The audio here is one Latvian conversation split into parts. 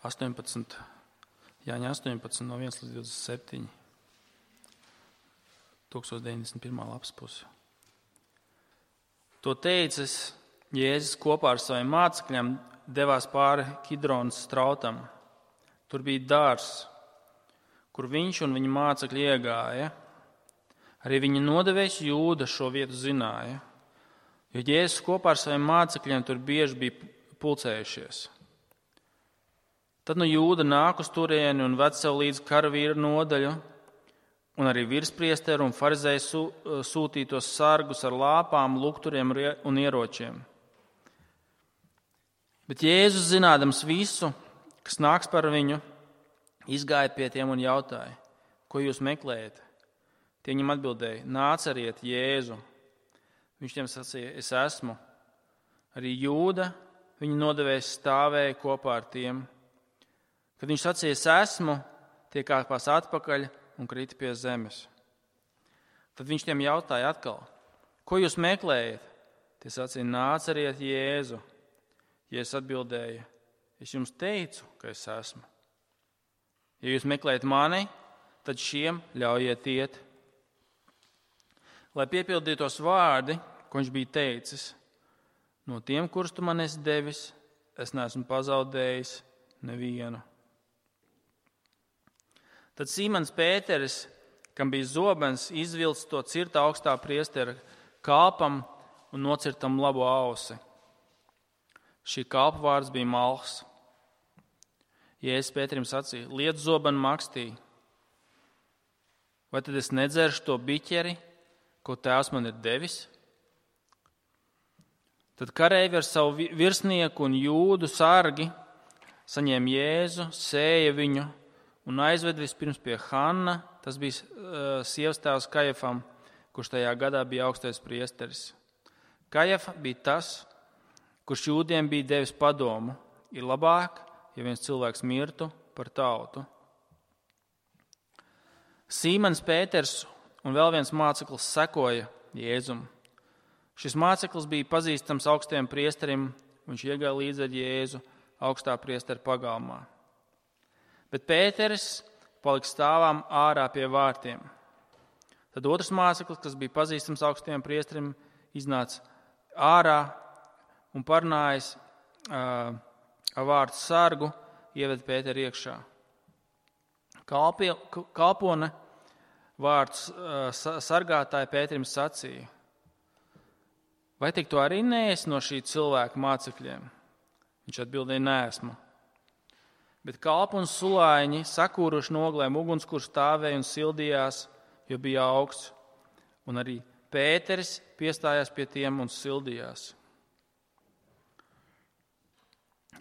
18, Jāņa 18 no 1 līdz 27. 1091. lapas pusi. To teicis Jēzus kopā ar saviem mācekļiem devās pāri Kidronas strautam. Tur bija dārzs, kur viņš un viņa mācekļi iegāja. Arī viņa nodevējs Jūda šo vietu zināja, jo Jēzus kopā ar saviem mācekļiem tur bieži bija pulcējušies. Tad no Jūda nāk uz turieni un ved sev līdz karavīru nodaļu, un arī virspriesteru un farizēju sūtītos sargus ar lāpām, lukturiem un ieročiem. Bet Jēzus, zinādams visu, kas nāks par viņu, izgāja pie tiem un jautāja, ko jūs meklējat? Tie viņam atbildēja, nācariet Jēzu. Viņš tiem sacīja, es esmu. Arī Jūda, viņa nodevējs, stāvēja kopā ar tiem. Kad viņš sacīja, es esmu, tie kāpās atpakaļ un krita pie zemes. Tad viņš tiem jautāja atkal, ko jūs meklējat? Tie sacīja, nācariet Jēzu. Jēzus atbildēja, es jums teicu, ka es esmu. Ja jūs meklējat mani, tad šiem ļaujiet iet. Lai piepildītos vārdi, ko viņš bija teicis, no tiem, kurus tu man esi devis, es neesmu pazaudējis nevienu. Tad Sīmons Pēteris, kam bija zobens, izvilcis to cirta augstā priestera kalpam un nocirtam labo ausi. Šī kalpa vārds bija Malhs. Jēzus Pēterim sacīja, liec zobenu makstī. Vai tad es nedzeršu to biķeri, ko tēvs man ir devis? Tad kareivi ar savu virsnieku un Jūdu sargi saņēma Jēzu, sēja viņu un aizved vispirms pie Hanna, tas bija sievas tēvs Kajafam, kurš tajā gadā bija augstais priesteris. Kajafa bija tas, kurš jūdiem bija devis padomu, ir labāk, ja viens cilvēks mirtu par tautu. Sīmons Pēters un vēl viens māceklis sekoja Jēzum. Šis māceklis bija pazīstams augstajam priesterim, viņš iegāja līdz ar Jēzu augstā priestera pagalmā. Bet Pēteris palika stāvām ārā pie vārtiem. Tad otrs māceklis, kas bija pazīstams augstajam priesterim, iznāca ārā un parunājis ar vārtu sargu, ieved Pēteru iekšā. Kalpone vārds sargātāja Pēterim sacīja, vai tik tu arī neesi no šī cilvēka mācekļiem? Viņš atbildēja, neesmu. Bet kalpi un sulāņi sakūruši noglēm uguns, kur stāvēja un sildījās, jo bija augsts, un arī Pēteris piestājās pie tiem un sildījās.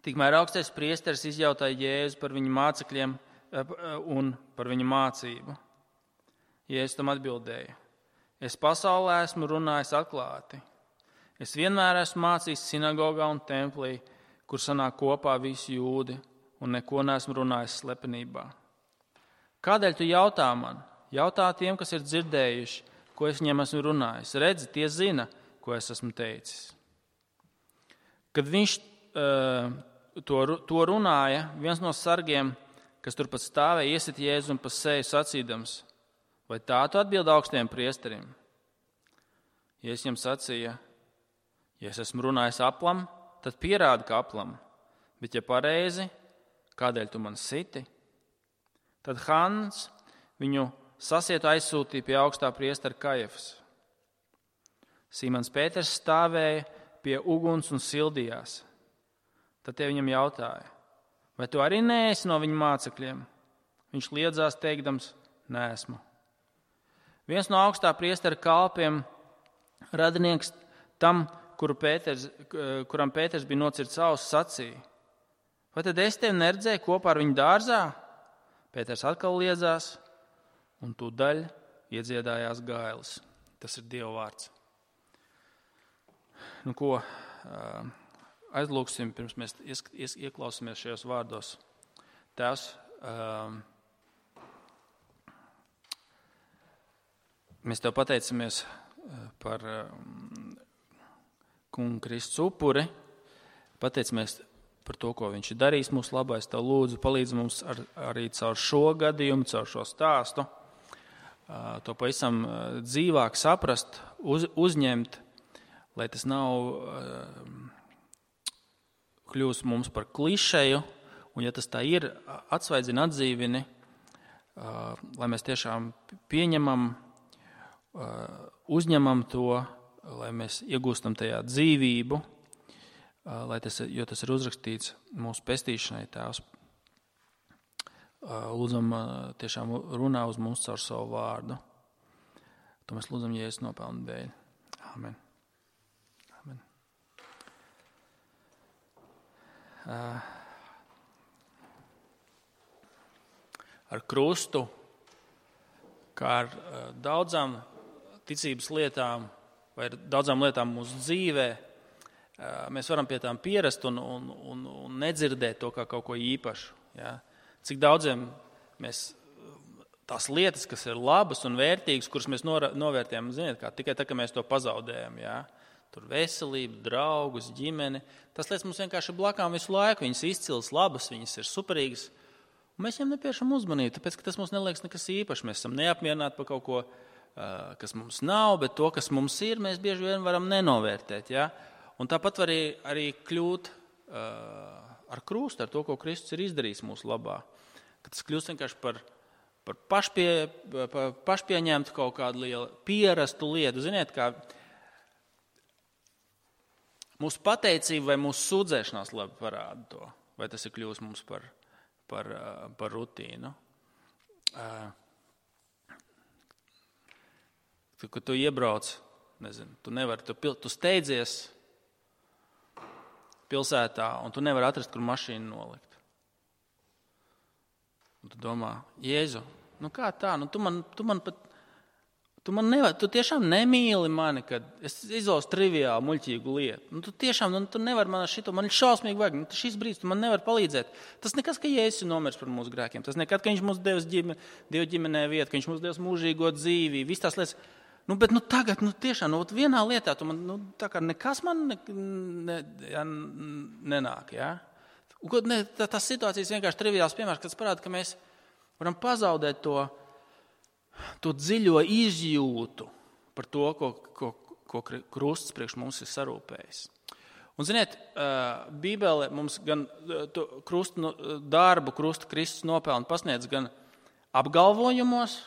Tikmēr augstais priesteris izjautāja Jēzu par viņa mācekļiem un par viņa mācību. Jēzus tam atbildēja, es pasaulē esmu runājis atklāti. Es vienmēr esmu mācījis sinagogā un templī, kur sanāk kopā visi jūdi, un neko neesmu runājis slepenībā. Kādēļ tu jautā man? Jautā tiem, kas ir dzirdējuši, ko es viņiem esmu runājis. Redzi, tie zina, ko es esmu teicis. Kad viņš to runāja, viens no sargiem, kas turpat stāvēja, iesit Jēzu un pa seju sacīdams, vai tā tu atbild augstiem priesterim? Jēzus viņam sacīja, ja es esmu runājis aplam, tad pierādi, ka aplam, bet ja pareizi, kādēļ tu man siti? Tad Hanns viņu sasietu aizsūtīja pie augstā priestera Kajafas. Sīmons Pēters stāvēja pie uguns un sildījās. Tad tie viņam jautāja, vai tu arī neesi no viņa mācekļiem? Viņš liedzās teikdams, neesmu. Viens no augstā priestera kalpiem, radinieks tam, kuram Pēters bija nocirts auss, sacīja, vai tad es tevi neredzēju kopā ar viņu dārzā? Pēters atkal liedzās, un tūdaļ iedziedājās gailis. Tas ir Dieva vārds. Nu ko, aizlūksim, pirms mēs ieklausāmies šajos vārdos. Tēvs, mēs Tev pateicamies par Kunga Kristus upuri. Pateicamies par to, ko viņš ir darījis mūsu labā. Es tev lūdzu, palīdz mums arī caur šo gadījumu, caur šo stāstu, to pavisam dzīvāk saprast, uzņemt, lai tas nav kļūst mums par klišeju, un ja tas tā ir, atsvaidzina, atdzīvini, lai mēs tiešām pieņemam, uzņemam to, lai mēs iegūstam tajā dzīvību, jo tas ir uzrakstīts mūsu pestīšanai, Tēvs. Lūdzam, tiešām runā uz mums caur savu vārdu. To mēs lūdzam Jēzus nopelnu dēļ. Amen. Amen. Ar krustu, kā ar daudzām ticības lietām vai ar daudzām lietām mūsu dzīvē, mēs varam pie tām pierast un nedzirdēt to kā kaut ko īpašu. Ja? Cik daudziem mēs tās lietas, kas ir labas un vērtīgas, kuras mēs novērtējam, ziniet, kā tikai tā, ka mēs to pazaudējam. Ja? Tur veselību, draugus, ģimeni. Tas lietas mums vienkārši ir blakām visu laiku. Viņas izcils, labas, viņas ir superīgas. Un mēs viņam nepiešam uzmanību, tāpēc, ka tas mums neliekas nekas īpašs. Mēs esam neapmierināti par kaut ko, kas mums nav, bet to, kas mums ir, mēs bieži vien varam nenovērtēt. Ja? Un tāpat var arī kļūt ar krustu, ar to, ko Kristus ir izdarījis mūsu labā. Kad tas kļūst vienkārši par pašpieņemtu kaut kādu lielu pierastu lietu. Ziniet, kā mūsu pateicība vai mūsu sūdzēšanās labi parāda to, vai tas ir kļūst mums par rutīnu. Kad tu iebrauc, nezinu, tu steidzies pilsētā un tu nevari atrast, kur mašīnu nolikt. Un tu domā, Jēzu, kā tā? Tu tiešām nemīli mani, kad es izvēlos triviālu, muļķīgu lietu. Tu tiešām, tu nevari man šito, man šausmīgi vajag. Šis brīdis, tu man nevari palīdzēt. Tas nekas, ka Jēzus ir nomiris par mūsu grēkiem. Tas nekad, ka viņš mums devis Dievu ģimenē vietu, ka viņš mums devis mūžīgo dzīvību, visas tās lietas. Bet tagad, tiešām, vienā lietā, tu man, tā kā nekas man nenāk, jā? Tas situācijas vienkārši triviāls piemērs, kas parāda, ka mēs varam pazaudēt to dziļo izjūtu par to, ko krusts priekš mums ir sarūpējis. Un, ziniet, Bībele mums gan darbu krusta Kristus nopelnu pasniedz gan apgalvojumos,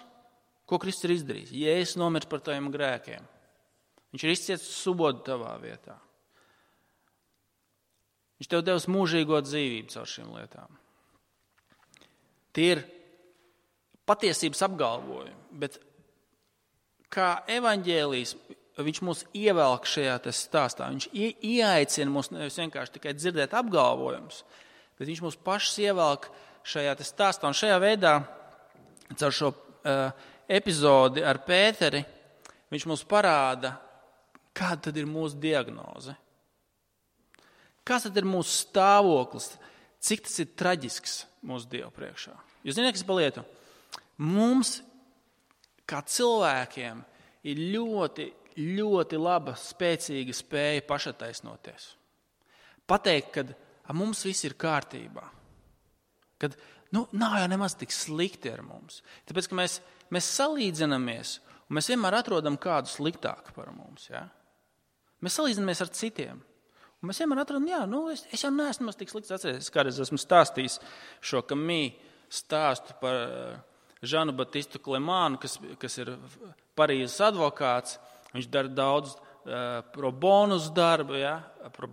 ko Kristus ir izdarījis. Jēzus nomirs par taviem grēkiem. Viņš ir izcietis subodu tavā vietā. Viņš tev devis mūžīgo dzīvību caur šīm lietām. Tie ir patiesības apgalvojumi, bet kā evaņģēlijs, viņš mūs ievelk šajā stāstā. Viņš ieaicina mūs nevis vienkārši tikai dzirdēt apgalvojumus, bet viņš mūs pašus ievelk šajā stāstā. Un šajā veidā, caur šo epizodi ar Pēteri, viņš mums parāda, kāda tad ir mūsu diagnoze. Kāds tad ir mūsu stāvoklis? Cik tas ir traģisks mūsu Dievu priekšā? Jūs zināt, kas pa lietu? Mums, kā cilvēkiem, ir ļoti, ļoti laba, spēcīga spēja pašataisnoties. Pateikt, ka mums viss ir kārtībā. Kad nav jau nemaz tik slikti ar mums. Tāpēc, ka mēs salīdzinamies, un mēs vienmēr atrodam kādu sliktāku par mums. Ja? Mēs salīdzinamies ar citiem. Un mēs vienmēr atrodam, es jau neesmu tik slikts. Atcerieties, kādreiz esmu stāstījis šo Kamī stāstu par Žanu Batistu Klemānu, kas ir Parīzes advokāts. Viņš dara daudz pro bonus darbu, ja? Pro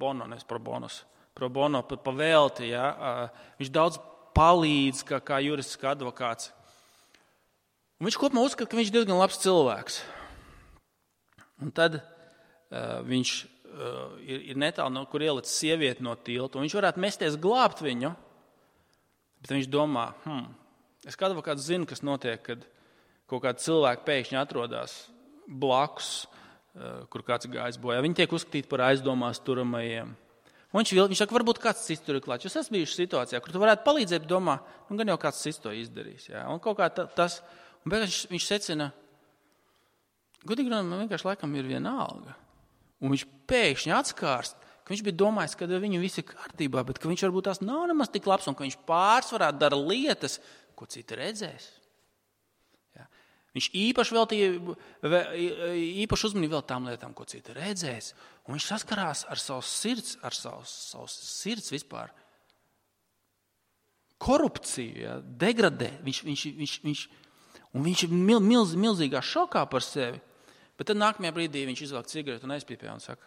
bono pavēlti. Ja? Viņš daudz palīdz kā jurists, kā advokāts. Un viņš kopumā uzskata, ka viņš ir diezgan labs cilvēks. Un tad viņš ir netālu, kur ielicis sievieti no tilta, un viņš varētu mesties glābt viņu, bet viņš domā, es kā advokāts zinu, kas notiek, kad kaut kādi cilvēki pēkšņi atrodas blakus, kur kāds gājis bojā. Viņi tiek uzskatīti par aizdomās turamajiem. Un viņš saka, varbūt kāds cits tur ir klāts. Jūs esat bijuši situācijā, kur tu varētu palīdzēt, bet domā, gan jau kāds cits to izdarīs. Jā. Un kaut kā tas, un beigās viņš secina, godīgi runājot, man vienkārši laikam ir viena alga. Un viņš pēkšņi atskārst, ka viņš bija domājis, ka viņu viss ir kārtībā, bet ka viņš varbūt tās nav nemaz tik labs un ka viņš pārsvarā dara lietas, ko citi redzēs. Ja? Viņš īpaši uzmanību vēl tām lietām, ko citi redzēs. Un viņš saskarās ar savu sirds vispār. Korupciju, ja? Degradē. Viņš ir milzīgā šokā par sevi. Bet tad nākamajā brīdī viņš izvelk cigaretu un aizpīpē un saka,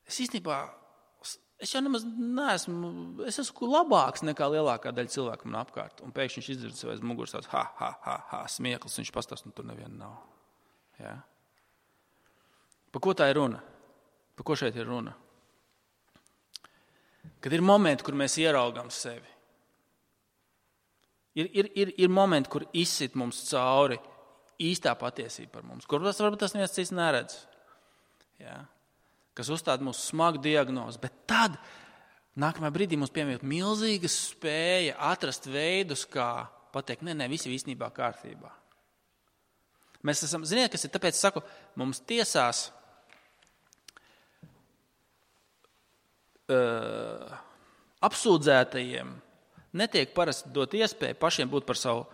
es jau nemaz neesmu, es esmu labāks nekā lielākā daļa cilvēku man apkārt. Un pēkšņi viņš izdzird sev aiz muguras tāds smieklis, viņš pastāst, un tur neviena nav. Ja? Par ko tā ir runa? Par ko šeit ir runa? Kad ir momenti, kur mēs ieraugam sevi. Ir momenti, kur izsit mums cauri īstā patiesība par mums, kur varbūt tas neviens cits neredz. Ja? Kas uzstāda mūsu smagu diagnozi. Bet tad, nākamajā brīdī mums piemīt milzīga spēja atrast veidus, kā pateikt, nē, viss ir īstenībā kārtībā. Mēs esam, ziniet, kas ir, tāpēc saku, mums tiesās apsūdzētajiem netiek parasti dot iespēju pašiem būt par savu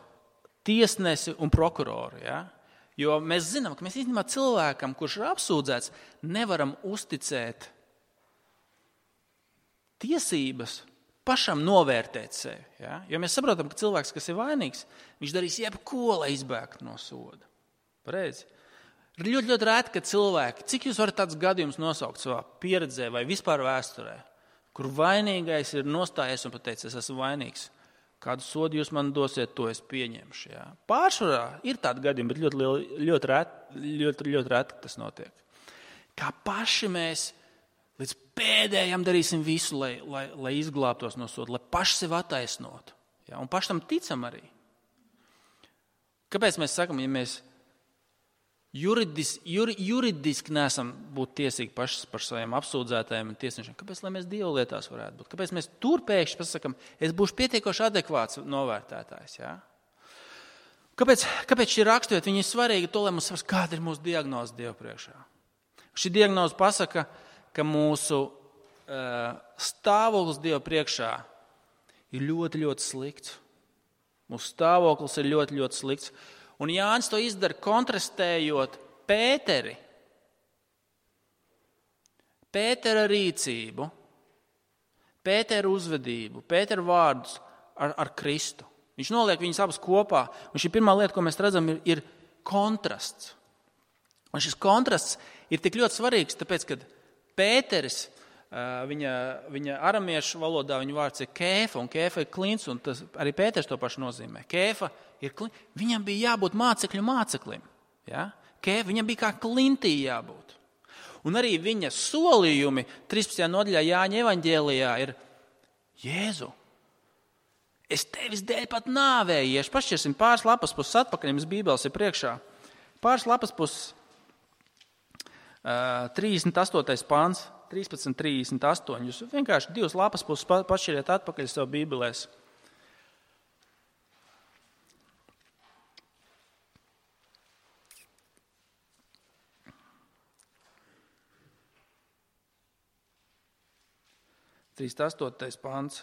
tiesnesi un prokuroru. Ja? Jo mēs zinām, ka mēs īstenībā cilvēkam, kurš ir apsūdzēts, nevaram uzticēt tiesības pašam novērtēt sevi. Ja? Jo mēs saprotam, ka cilvēks, kas ir vainīgs, viņš darīs jebko, lai izbēgtu no soda. Pareizi? Ir ļoti rēti, ka cilvēki, cik jūs varat tāds gadījums nosaukt savā pieredzē vai vispār vēsturē, kur vainīgais ir nostājies un pateicis, es esmu vainīgs. Kādu sodu jūs man dosiet, to es pieņemšu. Jā. Pārsvarā ir tādi gadījumi, bet ļoti reti tas notiek. Kā paši mēs līdz pēdējām darīsim visu, lai izglābtos no soda, lai paši sev attaisnotu. Jā. Un paši tam ticam arī. Kāpēc mēs sakam, ja mēs juridiski neesam būt tiesīgi paši par saviem apsūdzētājiem un tiesnešiem. Kāpēc, lai mēs Dievu lietās varētu būt? Kāpēc mēs tur pēkšņi pasakam, es būšu pietiekoši adekvāts novērtētājs? Ja? Kāpēc šī raksturvieta viņa ir svarīga to, lai mums saprast, kāda ir mūsu diagnoze Dievu priekšā? Šī diagnoze pasaka, ka mūsu stāvoklis Dievu priekšā ir ļoti, ļoti slikts. Mūsu stāvoklis ir ļoti, ļoti slikts. Un Jānis to izdara kontrastējot Pētera rīcību, Pētera uzvedību, Pētera vārdus ar Kristu. Viņš noliek viņus abus kopā. Un šī pirmā lieta, ko mēs redzam, ir kontrasts. Un šis kontrasts ir tik ļoti svarīgs, tāpēc, ka Pēteris, viņa aramiešu valodā viņa vārds ir kēfa, un kēfa ir klints, un tas, arī Pēters to pašu nozīmē. Kēfa ir klints. Viņam bija jābūt māceklim. Ja? Viņam bija kā klintī jābūt. Un arī viņa solījumi 13. nodaļā Jāņa evaņģēlijā ir Jēzu, es tevis dēļ pat nāvēju iešu. Pašķirsim pāris lapas puses atpakaļ, jums Bībeles ir priekšā. Pāris lapas puses 38. pāns. 13.38. Jūs vienkārši 2 lapas puses pašķiriet atpakaļ savu Bībelēs. Pāns,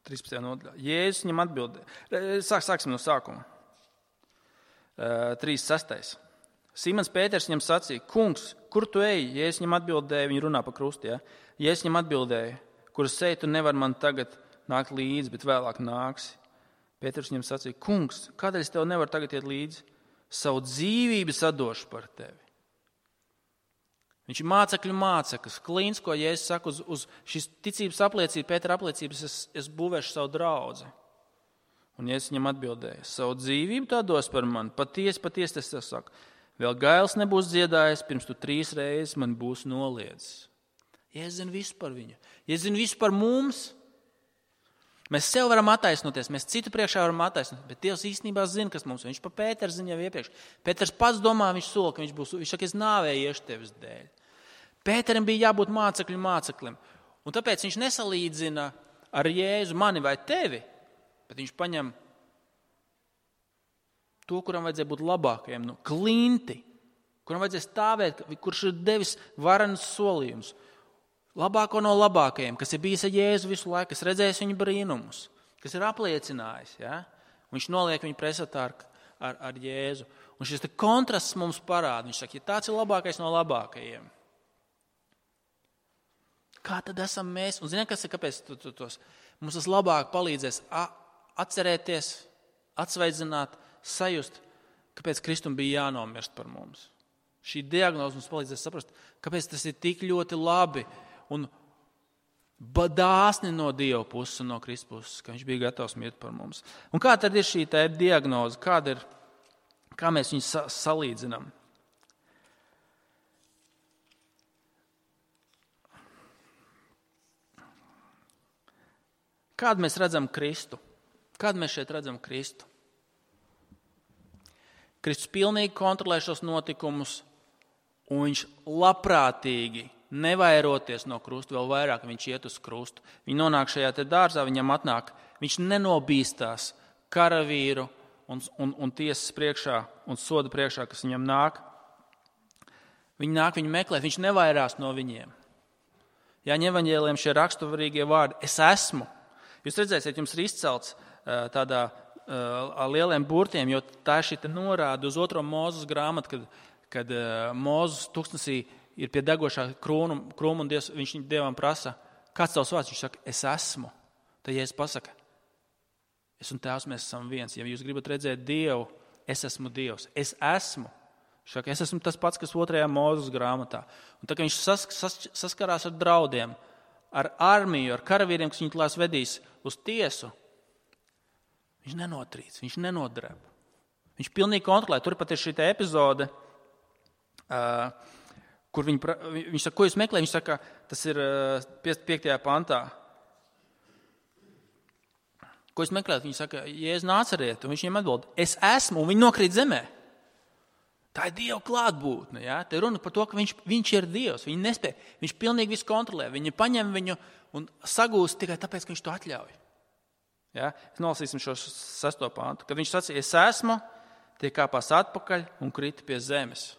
13. nodaļā. Jēzus viņam atbildēja. Sāksim no sākuma. 36. Simons Pēters viņam sacīja, kungs, kur tu ej? Jēzus viņam atbildēja, viņi runā pa krustu. Ja? Jēzus viņam atbildēja, kur es eju, tu nevar man tagad nākt līdzi, bet vēlāk nāksi. Pēters viņam sacīja, kungs, kādēļ es tev nevaru tagad iet līdzi? Savu dzīvību sadošu par tevi. Viņš ir mācekļu māceklis, klīns, ko Jēzus saka uz šīs ticības apliecības, Pētera apliecības, es būvēšu savu draudzi. Un Jēzus viņam atbildēja, savu dzīvību tā dos par mani, patiesi es tev saku. Vēl gails nebūs dziedājis, pirms tu 3 reizes man būs noliedzis. Jēzus zina visu par viņu. Jēzus zina visu par mums. Mēs sev varam attaisnoties, mēs citu priekšā varam attaisnoties, bet Dievs īstenībā zina, kas mums. Viņš pa Pēteru zina jau iepriekš. Pēters pats domā, viņš sola, ka viņš saka, es nāvēju iešu tevis dēļ. Pēterim bija jābūt māceklim. Un tāpēc viņš nesalīdzina ar Jēzu mani vai tevi, bet viņš paņem to, kuram vajadzēja būt labākajam, klinti. kuram vajadzēs stāvēt, kurš ir devis varenas solījumus, labāko no labākajiem, kas ir bijis ar Jēzu visu laiku, kas redzējis viņa brīnumus, kas ir apliecinājis. Ja? Viņš noliek viņu pretstatā ar Jēzu. Un šis kontrasts mums parāda. Viņš saka, ja tāds ir labākais no labākajiem, kā tad esam mēs? Un ziniet, kāpēc mums tas labāk palīdzēs atcerēties, atsveidzināt, sajust, kāpēc Kristum bija jānomirst par mums. Šī diagnoze mums palīdzēs saprast, kāpēc tas ir tik ļoti labi un dāsni no Dieva puses un no Kristus puses, ka viņš bija gatavs mirt par mums. Un kā tad ir šī diagnoze? Kā mēs viņu salīdzinām? Kādu mēs redzam Kristu? Kādu mēs šeit redzam Kristu? Kristus pilnīgi kontrolē šos notikumus, un viņš labprātīgi, nevairoties no krusta, vēl vairāk viņš iet uz krustu. Viņi nonāk šajā dārzā, viņam atnāk, viņš nenobīstās karavīru un tiesas priekšā un soda priekšā, kas viņam nāk. Viņi nāk viņu meklēt, viņš nevairās no viņiem. Jāņa evaņģēlijam šie raksturīgie vārdi, es esmu. Jūs redzēsiet, jums ir izcelts tādā ar lieliem burtiem, jo tā ir šī norāda uz 2. Mūzes grāmatu, kad Mūzes tūkstnesī ir pie degošā krūma un viņš Dievam prasa, kāds tavs vārds? Viņš saka, es esmu. Tad Jēzus pasaka, es un Tēvs, mēs esam viens. Ja jūs gribat redzēt Dievu, es esmu Dievs. Es esmu. Saka, es esmu tas pats, kas 2. Mūzes grāmatā. Un tā kā viņš saskarās ar draudiem, ar armiju, ar karavīriem, kas viņu tās vedīs uz tiesu, viņš nenotrīc, viņš nenodreb. Viņš pilnīgi kontrolē. Tur pat ir šī epizode, kur viņš saka, ko jūs meklējat? Viņš saka, tas ir 5. pantā. Ko jūs meklējat? Viņš saka, Jēzu Nācarieti, un viņš viņiem atbild, es esmu, un viņi nokrīt zemē. Tā ir Dieva klātbūtne. Ja? Te runa par to, ka viņš ir Dievs. Viņi nespēja, viņš pilnīgi visu kontrolē. Viņi paņem viņu un sagūst tikai tāpēc, ka viņš to atļauj. Ja? Nolasīsim šo 6. pantu. Kad viņš sacīja, es esmu, tie kāpās atpakaļ un krita pie zemes.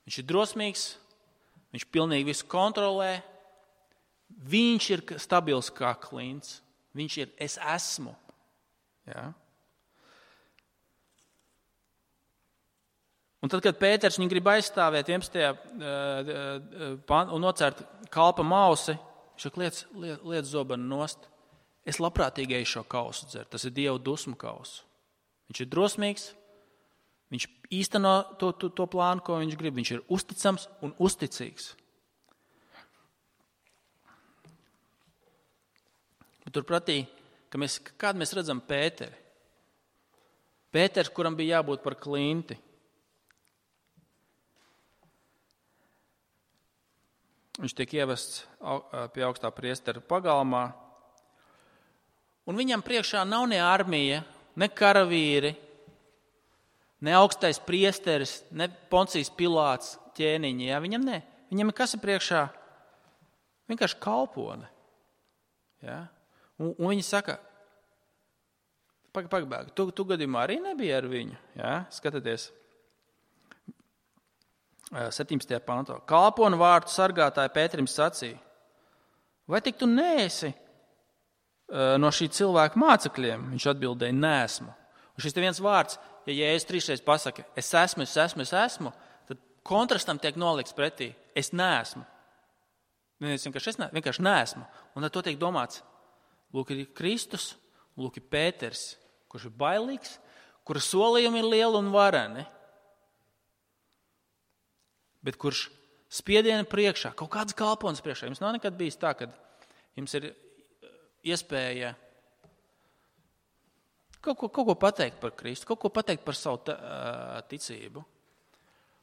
Viņš ir drosmīgs, viņš pilnīgi visu kontrolē, viņš ir stabils kā klints. Viņš ir, es esmu. Ja? Un tad, kad Pēters viņu grib aizstāvēt 11. un nocērt kalpa mausi, viņš saka, liec zobenu nost. Es labprātīgi eju šo kausu dzert. Tas ir Dieva dusmu kausu. Viņš ir drosmīgs, viņš īsteno to plānu, ko viņš grib. Viņš ir uzticams un uzticīgs. Bet turpretī, kādu mēs redzam Pēteri? Pēters, kuram bija jābūt par klinti. Viņš tiek ievests pie augstā priestera pagalmā. Un viņam priekšā nav ne armija, ne karavīri, ne augstais priesteris, ne Poncijas Pilāts ķēniņi. Ja? Viņam ne. Viņam ir kas ir priekšā? Vienkārši kalpone. Ja? Un viņi saka, pagaidi, tu gadījumā arī nebija ar viņu. Ja? Skatieties. 17. pantā. Kalponu vārtu sargātāja Pēterim sacīja, vai tik tu neesi no šī cilvēka mācekļiem? Viņš atbildēja, neesmu. Un šis te viens vārds, ja Jēzus 3 pasaka, es esmu, tad kontrastam tiek nolikts pretī, es neesmu. Vienkārši neesmu. Un tad to tiek domāts, lūk ir Kristus, lūk ir Pēters, kurš ir bailīgs, kura solījumi ir lieli un vareni. Bet kurš spiediena priekšā, kaut kāds kalponis priekšā. Jums nav nekad bijis tā, ka jums ir iespēja kaut ko pateikt par Kristu, kaut ko pateikt par savu ticību.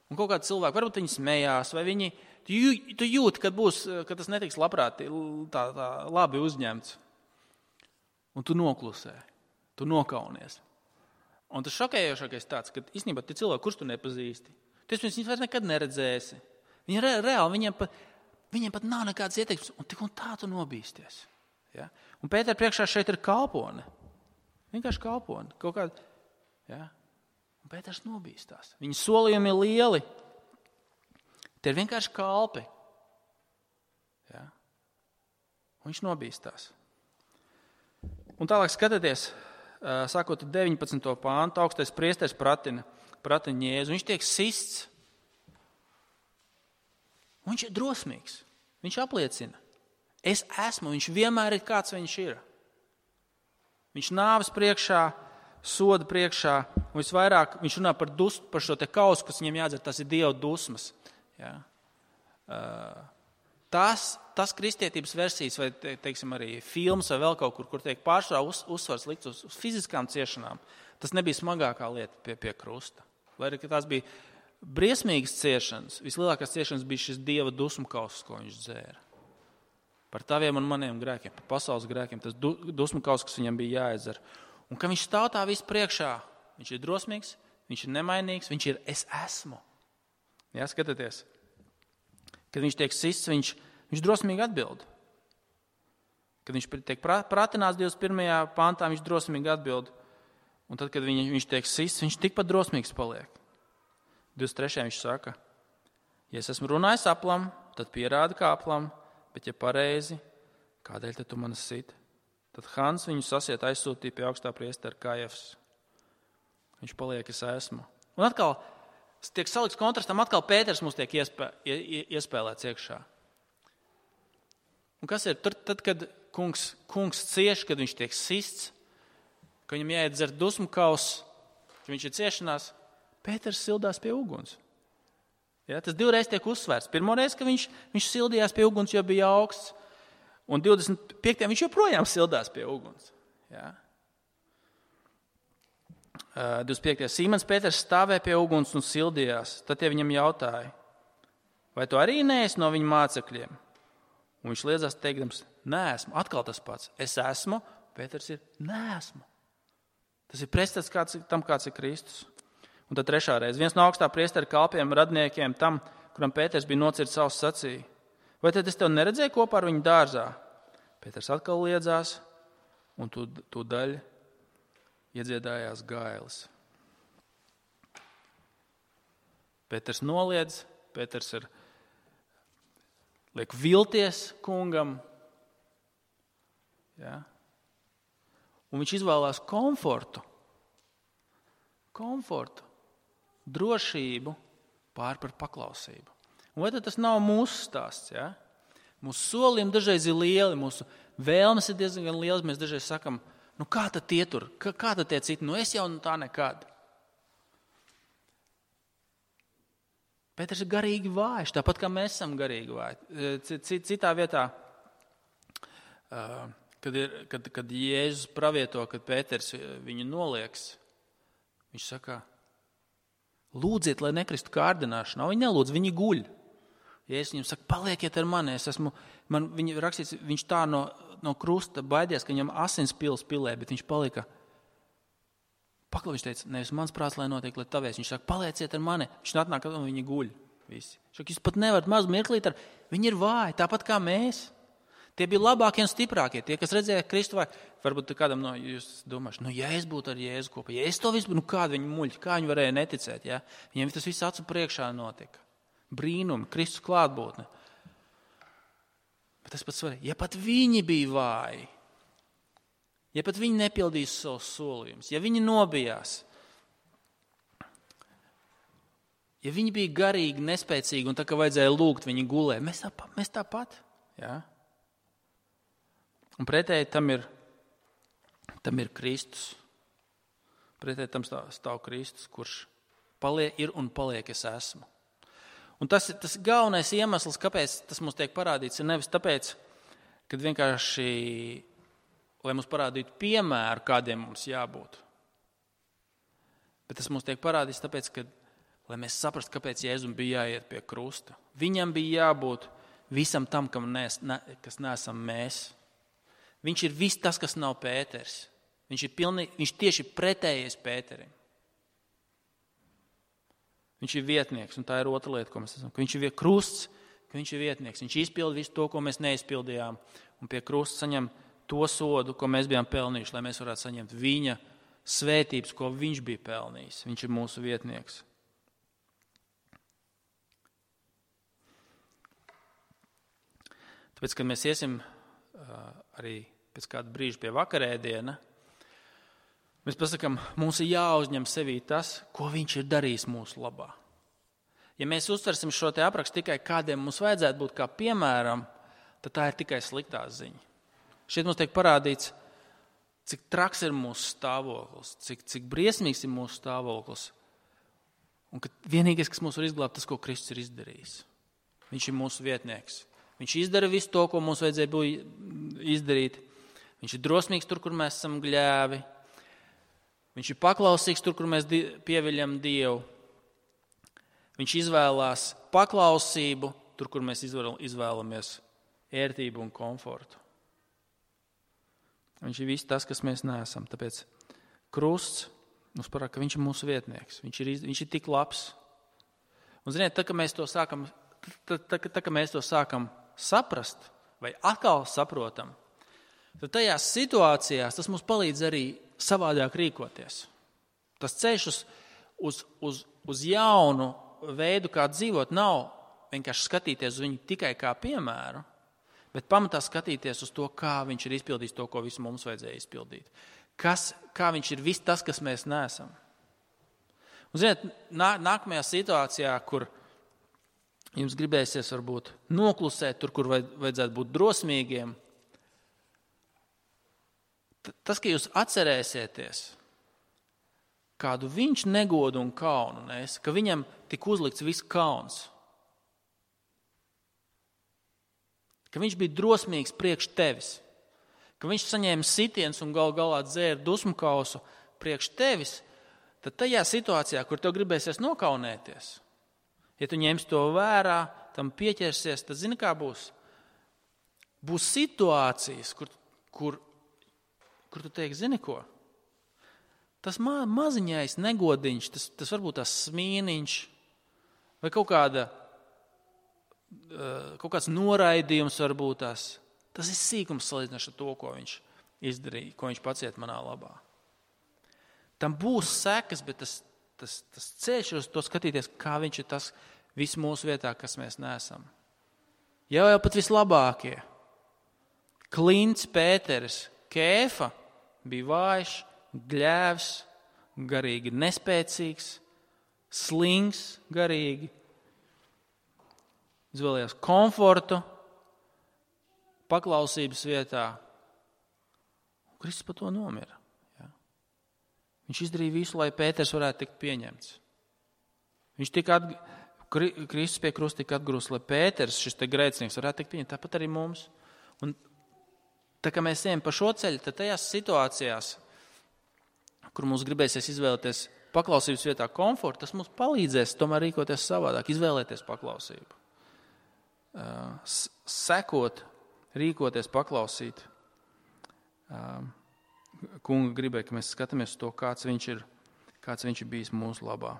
Un kaut kādi cilvēki, varbūt viņi smējās, vai viņi, tu jūti, ka tas netiks labprāt tā labi uzņemts. Un tu noklusē, tu nokaunies. Un tas šokējošākais tāds, ka īstenībā tie cilvēki, kurš tu nepazīsti, tu viņus vairs nekad neredzēsi. Viņi reāli, viņiem pat nav nekādas ieteikums, un tik un tā tu nobīsties. Ja? Un Pētera priekšā šeit ir kalpone. Vienkārši kalpone. Kaut kāda, ja? Un Pēters nobīstās. Viņa solījumi ir lieli. Tie ir vienkārši kalpi. Ja? Un viņš nobīstās. Un tālāk skatieties, sākot 19. pāntu, augstais priesteris pratina Jēzu. Viņš tiek sists. Un viņš ir drosmīgs. Viņš apliecina. Es esmu, viņš vienmēr ir kāds viņš ir. Viņš nāves priekšā, soda priekšā, un visvairāk viņš runā par šo te kausu, kas viņam jādzer, tas ir Dieva dusmas. Ja? Tas kristietības versijas, vai teiksim arī filmas vai vēl kaut kur tiek pārsvarā uzsvars likts uz fiziskām ciešanām, tas nebija smagākā lieta pie krusta. Lai arī tās bija briesmīgas ciešanas, vislielākās ciešanas bija šis Dieva dusmu kauss, ko viņš dzēra. Par taviem un maniem grēkiem, par pasaules grēkiem, tas dusmu kauss, kas viņam bija jāizdzer. Un ka viņš stāv tā visu priekšā, viņš ir drosmīgs, viņš ir nemainīgs, viņš ir es esmu. Jā, skatieties. Kad viņš tiek sists, viņš drosmīgi atbild. Kad viņš tiek pratināts 21. pantā, viņš drosmīgi atbild. Un tad, kad viņš tiek sists, viņš tikpat drosmīgs paliek. 23. viņš saka, ja es esmu runājis aplam, tad pierāda kā aplam, bet ja pareizi, kādēļ tad tu mani sit? Tad Hans viņu sasiet aizsūtīja pie augstā priestera Kajafas. Viņš paliek, es esmu. Un atkal tiek salikts kontrastam, atkal Pēters mums tiek iespēlēts iekšā. Un kas ir? Tad, kad kungs cieš, kad viņš tiek sists, ka viņam jāiet dzert dusmu kausu, ka viņš ir ciešanās, Pēters sildās pie uguns. Ja, tas divreiz tiek uzsvērts. Pirmoreiz, ka viņš sildījās pie uguns, jo bija augsts, un 25. viņš joprojām sildās pie uguns. Ja. 25. Sīmons Pēters stāvēja pie uguns un sildījās. Tad tie viņam jautāja, vai tu arī neesi no viņa mācekļiem? Un viņš liedzās teikdams, neesmu. Atkal tas pats. Es esmu, Pēters ir neesmu. Tas ir pretstats tam, kāds ir Kristus. Un tad trešā reize. Viens no augstā priestera kalpiem, radniekiem, tam, kuram Pēters bija nocirts savus sacīja. Vai tad es tev neredzēju kopā ar viņu dārzā? Pēters atkal liedzās, un tūdaļ iedziedājās gailis. Pēters noliedz, Pēters liek vilties kungam. Ja? Un viņš izvēlās komfortu, drošību pār par paklausību. Un vai tad tas nav mūsu stāsts? Ja? Mūsu solījumi dažreiz ir lieli, mūsu vēlmes ir diezgan lielas. Mēs dažreiz sakam, kā tad tie tur, kā tad tie citi? Es jau tā nekad. Pēters ir garīgi vājš, tāpat kā mēs esam garīgi vāji. Citā vietā, kad Jēzus pravieto, kad Pēters viņu nolieks, viņš saka, lūdziet, lai nekristu kārdināšanā. Viņi nelūdz, viņi guļ. Jēzus viņam saka, palieciet ar mani. Viņa rakstīts, viņš tā no krusta baidies, ka viņam asins pilē, bet viņš palika. Viņš teica, nevis mans prāts, lai notiek, lai tavies. Viņš saka, palieciet ar mani. Viņš atnāk, un viņi guļ visi. Viņš saka, jūs pat nevarat mazu mirklīt viņi ir vāji, tāpat kā mēs. Tie bija labākie un stiprākie. Tie, kas redzēja Kristu, vai varbūt kādam no jūs domāšu, ja es būtu ar Jēzu kopā, ja es to visu būtu, kāda viņi muļķi, kā viņi varēja neticēt, ja? Viņiem tas viss acu priekšā notika. Brīnumi, Kristus klātbūtne. Bet tas pats svarīgi, ja pat viņi bija vāji, ja pat viņi nepildīs savus solījumus, ja viņi nobijās, ja viņi bija garīgi, nespēcīgi un tā kā vajadzēja lūgt, viņi gulēja, mēs tāpat, ja? Un pretēji tam ir Kristus. Pretēji tam stāv Kristus, kurš ir un paliek es esmu. Un tas galvenais iemesls, kāpēc tas mums tiek parādīts, ir nevis tāpēc, kad vienkārši, lai mums parādītu piemēru, kādiem mums jābūt. Bet tas mums tiek parādīts tāpēc, lai mēs saprastu, kāpēc Jēzum bija jāiet pie krusta. Viņam bija jābūt visam tam, kas neesam mēs. Viņš ir viss tas, kas nav Pēters. Viņš tieši pretējies Pēterim. Viņš ir vietnieks, un tā ir otra lieta, ko mēs esam. Ka viņš ir krusts, ka viņš ir vietnieks. Viņš izpilda visu to, ko mēs neizpildījām, un pie krusta saņem to sodu, ko mēs bijām pelnījuši, lai mēs varētu saņemt viņa svētības, ko viņš bija pelnījis. Viņš ir mūsu vietnieks. Tāpēc, kad mēs iesim arī pēc kāda brīža pie vakarēdiena, mēs pasakām, mums ir jāuzņem sevī tas, ko viņš ir darījis mūsu labā. Ja mēs uztversim šo te aprakstu tikai kādiem mums vajadzētu būt kā piemēram, tad tā ir tikai sliktā ziņa. Šeit mums tiek parādīts, cik traks ir mūsu stāvoklis, cik briesmīgs ir mūsu stāvoklis. Un ka vienīgais, kas mūs var izglābt, tas, ko Kristus ir izdarījis. Viņš ir mūsu vietnieks. Viņš izdara visu to, ko mums vajadzēja izdarīt. Viņš ir drosmīgs tur, kur mēs esam gļēvi. Viņš ir paklausīgs tur, kur mēs pieviļam Dievu. Viņš izvēlās paklausību tur, kur mēs izvēlamies ērtību un komfortu. Viņš ir viss tas, kas mēs neesam. Tāpēc krusts mums parāda, ka viņš ir mūsu vietnieks. Viņš ir tik labs. Un ziniet, tā, ka mēs to sākam saprast vai atkal saprotam, tad tajās situācijās tas mums palīdz arī savādāk rīkoties. Tas ceļš uz jaunu veidu, kā dzīvot, nav vienkārši skatīties uz viņu tikai kā piemēru, bet pamatā skatīties uz to, kā viņš ir izpildījis to, ko visu mums vajadzēja izpildīt. Kā viņš ir viss tas, kas mēs neesam. Un, ziniet, nākamajā situācijā, kur jums gribēsies varbūt noklusēt tur, kur vajadzētu būt drosmīgiem, tas, ka jūs atcerēsieties, kādu viņš negodu un kaunu nes, ka viņam tik uzlikts viss kauns, ka viņš bija drosmīgs priekš tevis, ka viņš saņēma sitiens un galā dzēra dusmu kausu priekš tevis, tad tajā situācijā, kur tev gribēsies nokaunēties, ja tu ņemsi to vērā, tam pieķersies, tad zini, kā būs? Būs situācijas, kur tu teiksi, zini ko? Tas maziņais negodiņš, tas varbūt tas smīniņš vai kaut kāds noraidījums varbūt tas ir sīkums salīdzinoši ar to, ko viņš izdarīja, ko viņš paciet manā labā. Tam būs sekas, bet tas ceļš uz to skatīties, kā viņš ir tas viss mūsu vietā, kas mēs neesam. Jau pat vislabākie. Klints, Pēteris, Kēfa bija vājš, gļēvs, garīgi nespēcīgs, slings garīgi, izvēlējās komfortu, paklausības vietā. Kristus par to nomira. Ja? Viņš izdarīja visu, lai Pēters varētu tikt pieņemts. Kristus pie krusta tika atgrūsts, lai Pēters, šis te grēcinieks, varētu tikt pieņemts. Tāpat arī mums. Un tā kā mēs ejam pa šo ceļu, tad tajās situācijās, kur mums gribēsies izvēlēties paklausības vietā komfortu, tas mums palīdzēs tomēr rīkoties savādāk, izvēlēties paklausību. Sekot, rīkoties, paklausīt. Kunga gribēja, ka mēs skatāmies uz to, kāds viņš ir bijis mūsu labā.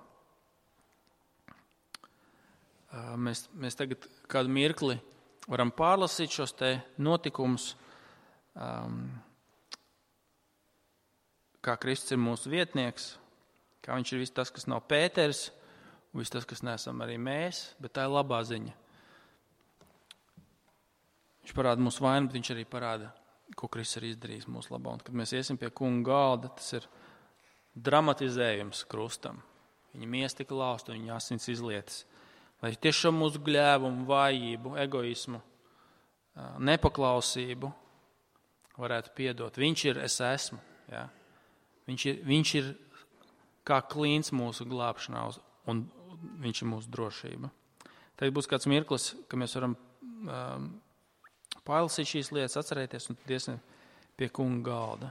Mēs tagad kādu mirkli varam pārlasīt šos te notikumus, kā Kristus ir mūsu vietnieks, kā viņš ir viss tas, kas nav Pēters, un viss tas, kas neesam arī mēs, bet tā ir labā ziņa. Viņš parāda mūsu vainu, bet viņš arī parāda, ko Kristus ir izdarījis mūsu labā. Un kad mēs iesim pie kunga galda, tas ir dramatizējums krustam. Viņa miesa tika lausta, viņa asins izlietas. Lai tiešām mūsu gļēvumu, vājību, egoismu, nepaklausību varētu piedot. Viņš ir es esmu. Ja? Viņš ir kā klīns mūsu glābšanā, un viņš ir mūsu drošība. Tagad būs kāds mirklis, ka mēs varam pārlasīt šīs lietas, atcerēties un iesim pie kunga galda.